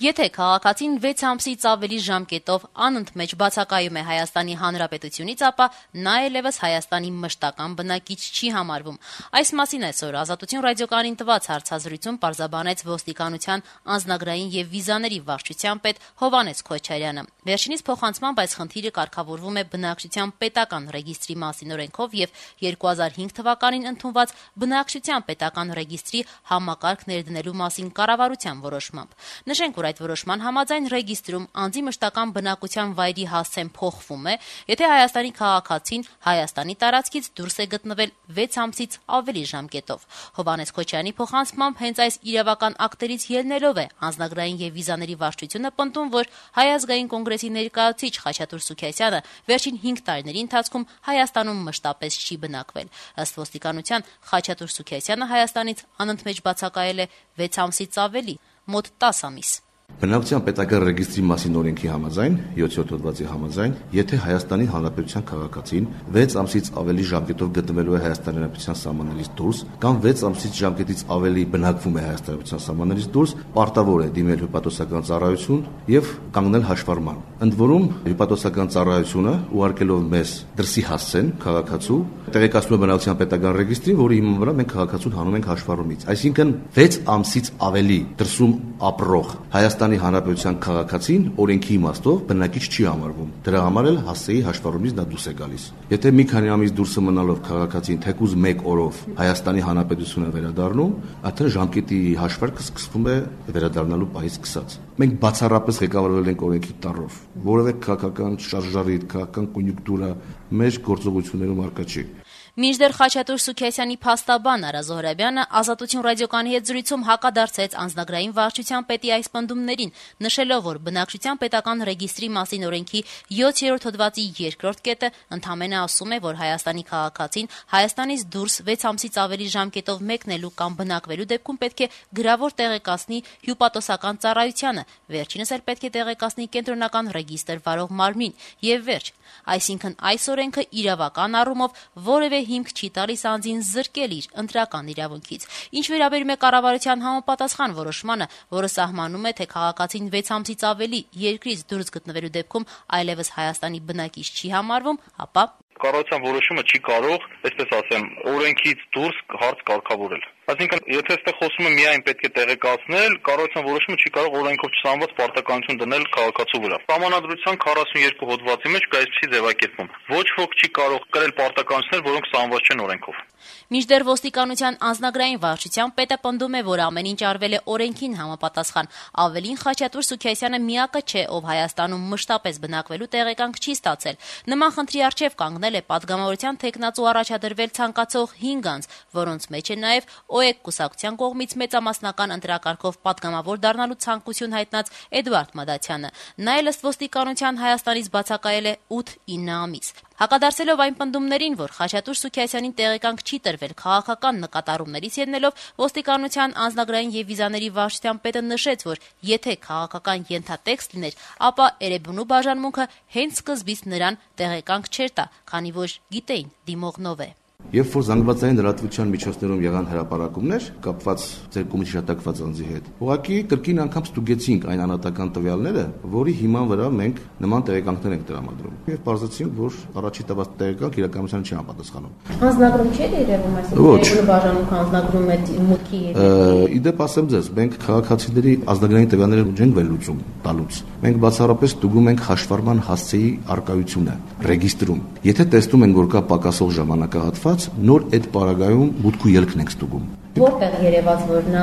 Եթե քաղաքացին 6 ամսից ավելի ժամկետով անընդմեջ բացակայում է Հայաստանի Հանրապետությունից, ապա նա այլևս Հայաստանի մշտական բնակիչ չի համարվում։ Այս մասին այսօր Ազատություն ռադիոկայանին տված հարցազրույցում պարզաբանեց ոստիկանության անձնագրային եւ վիզաների վարչության պետ Հովհաննես Քոչարյանը։ Վերջինիս փոխանցմամբ այս խնդիրը կարգավորվում է բնակչության պետական ռեգիստրի մասին օրենքով եւ 2005 թվականին ընդունված բնակչության պետական ռեգիստրի համակարգ ներդնելու մասին կառավարության որոշմամբ։ Նշենք, որ այդ որոշման համաձայն ռեգիստրում անձի մշտական բնակության վայրի հասցեն փոխվում է, եթե Հայաստանի քաղաքացին Հայաստանի տարածքից դուրս է գտնվել 6 ամսից ավելի ժամկետով։ Հովհաննես Քոչարյանի փոխանցմամբ հենց այս իրավական ակտերից ելնելով է անձնագրային եւ վիզաների վարչությունը պնդում, որ Հայ ազգային կոնգրեսի ներկայացուցիչ Խաչատուր Սուքիասյանը վերջին 5 տարիների ընթացքում Հայաստանում մշտապես չի բնակվել։ Ըստ ոստիկանության, Խաչատուր Սուքիասյանը Հայաստանից անընդմեջ բացակայել է 6 ամսից ավելի, մոտ 10 ամիս։ Բնակչության պետական ռեգիստրի մասին օրենքի համաձայն, 7-րդ հոդվածի համաձայն, եթե Հայաստանի Հանրապետության քաղաքացին 6 ամսից ավելի ժամկետով գտնվելու է Հայաստանի Հանրապետության սահմաններից դուրս կամ 6 ամսից ժամկետից ավելի բնակվում է Հայաստանի Հանրապետության սահմաններից դուրս, պարտավոր է դիմել հյուպատոսական ծառայություն եւ կանգնել հաշվառման։ Ընդ որում, հյուպատոսական ծառայությունը ուղարկելով մեզ դրսի հասցեն քաղաքացու տեղեկացնում է բնակչության պետական ռեգիստրին, որի հիման վրա մենք քաղաքացուն հանում ենք հաշվառումից։ Այսինքն 6 ամսից ավելի դրսում ապրող Հայաստանի Հանրապետության քաղաքացին օրենքի իմաստով բնակիչ չի համարվում։ Դրա համար էլ հասցեի հաշվառումից նա դուրս է գալիս։ Եթե մի քանի ամիս դուրս մնալով քաղաքացին թեկուզ 1 օրով Հայաստանի Հանրապետություն է վերադառնում, արդեն ժամկետի հաշվարկը սկսվում է վերադառնալու պահից սկսած։ Մենք բացառապես ղեկավարվել ենք օրենքի տառով, որովհետեւ քաղաքական շարժարիտ, քաղաքական կոնյունկտուրա մեր գործողություններում արկա չի։ Մինչդեռ Խաչատուր Սուքիասյանի փաստաբան Արա Զոհրաբյանը Ազատություն ռադիոկայանի հետ զրույցում հակադարձեց անձնագրային վարչության պետի այս պնդումներին, նշելով, որ բնակչության պետական ռեգիստրի մասին օրենքի 7-րդ հոդվածի 2-րդ կետը ընդամենը ասում է, որ Հայաստանի քաղաքացին Հայաստանից դուրս 6 ամսից ավելի ժամկետով մեկնելու կամ բնակվելու դեպքում պետք է գրավոր տեղեկացնի հյուպատոսական ծառայությանը, վերջինս էլ պետք է տեղեկացնի կենտրոնական ռեգիստր վարող մարմին եւ վերջ։ Այսինքն այս օրենքը իրավական առումով որևէ հիմք չի տալիս անձին զրկել իր ընտրական իրավունքից։ Ինչ վերաբերում է կառավարության համապատասխան որոշմանը, որը սահմանում է, թե քաղաքացին 6 ամսից ավելի երկրից դուրս գտնվելու դեպքում այլևս Հայաստանի բնակիչ չի համարվում, ապա կառավարության որոշումը չի կարող, այսպես ասեմ, օրենքից դուրս հարց կարգավորել։ Այսինքն, եթե այստեղ խոսում է միայն պետք է տեղեկացնել, կառավարության որոշումը չի կարող օրենքով չսահմանված պարտականություն դնել քաղաքացու վրա։ Սահմանադրության 42 հոդվածի մեջ կա այսպիսի ձևակերպում. ոչ ոք չի կարող կրել պարտականություններ, որոնք սահմանված չեն օրենքով։ Մինչդեռ ոստիկանության անձնագրային վարչության պետը պնդում է, որ ամեն ինչ արվել է օրենքին համապատասխան։ Ավելին, Խաչատուր Սուքիասյանը միակը չէ, ով Հայաստանում մշտապես բնակվելու տեղեկանք չի ստացել։ Նման խնդրի առջև կանգնել է պատգամավորության թեկնածու առաջադրվել ցանկացող 5 անձ, որոնց մեջ է նաև ՕԵԿ կուսակցության կողմից մեծամասնական ընտրակարգով պատգամավոր դառնալու ցանկություն հայտնած Էդվարդ Մադաթյանը։ Նա էլ ըստ ոստիկանության Հայաստանից բացակայել է 8-9 ամիս։ Հակադարձելով այն պնդումներին, որ Խաչատուր Սուքիասյանին տեղեկանք չի տրվել քաղաքական նկատառումներից ելնելով, ոստիկանության անձնագրային եւ վիզաների վարչության պետը նշեց, որ եթե քաղաքական ենթատեքստ լիներ, ապա Էրեբունու բաժանմունքը հենց սկզբից նրան տեղեկանք չէր տա, քանի որ գիտեին դիմողնով է։ Երբ որ զանգվածային լրատվության միջոցներում եղան հրապարակումներ կապված ձեր կողմից հիշատակված անձի հետ, ուղղակի կրկին անգամ ստուգեցինք այն անհատական տվյալները, որի հիման վրա մենք նման տեղեկանքներ ենք տրամադրում։ Եվ պարզեցինք, որ առաջի տված տեղեկանք իրականությանը չի համապատասխանում։ Անձնագրում չէ երևում, այսինքն բաժանմունքը անձնագրում է մուտքի Իդեպ ասեմ ձեզ, մենք քաղաքացիների անձնագրային տվյալները չենք վերլուծում տալուց։ Մենք բացառապես ստուգում ենք հաշվառման հասցեի արկայությունը ռեգիստրում։ Եթե տեսնում ենք, որ կա պակասող ժամանակահատված, նոր այդ պարագայում մուտք ու ելքն ենք ստուգում։ Որտեղ երևաց, որ նա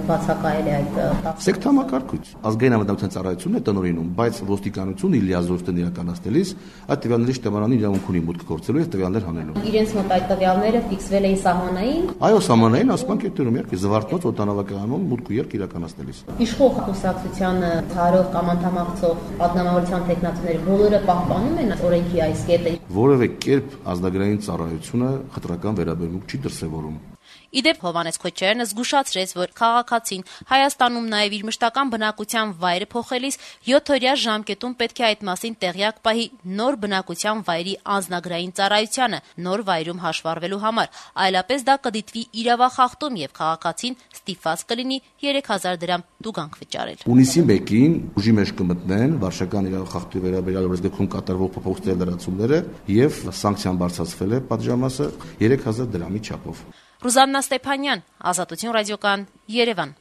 բացակայել է այդ Սեկտամակարգույց։ Ազգային անվտանգության ծառայությունն է տնօրինում, բայց ոստիկանությունը իր լիազորությունն իրականացնելիս այդ տվյալների շտեմարանի իրավունք ունի մուտք գործելու եւ տվյալներ հանելու։ Իրենց մոտ այդ տվյալները ֆիքսվել էին սահմանային։ Այո, սահմանային ասման կետերում իհարկե զվարթնոց օդանավակայանում մուտք ու ելք իրականացնելիս։ Իշխող կուսակցությանը ցարով կամ անդամակցող պատգամավորության տեխնացիները բոլորը պահպանում են օրենքի այս կետը։ Որևէ կերպ ազգային ծառայությունը խտրական վերաբերմունք չի դրսևորում։ Իդեպ Հովհաննես Քոչարյանը զգուշացրեց, որ քաղաքացին Հայաստանում նաև իր մշտական բնակության վայրը փոխելիս 7-օրյա ժամկետում պետք է այդ մասին տեղյակ պահի նոր բնակության վայրի անձնագրային ծառայությանը նոր վայրում հաշվառվելու համար, այլապես դա կդիտվի իրավախախտում եւ քաղաքացին ստիպված կլինի 3000 դրամ տուգանք վճարել։ Հունիսի 1-ին ուժի մեջ կմտնեն վարչական իրավախախտի վերաբերյալ օրենսգրքում կատարվող փոփոխությունների լրացումները եւ սանկցիան բարձրացվել է պատժամասը 3000 դրամի չափով։ Ռուզաննա Ստեփանյան, Ազատություն ռադիոկան, Երևան։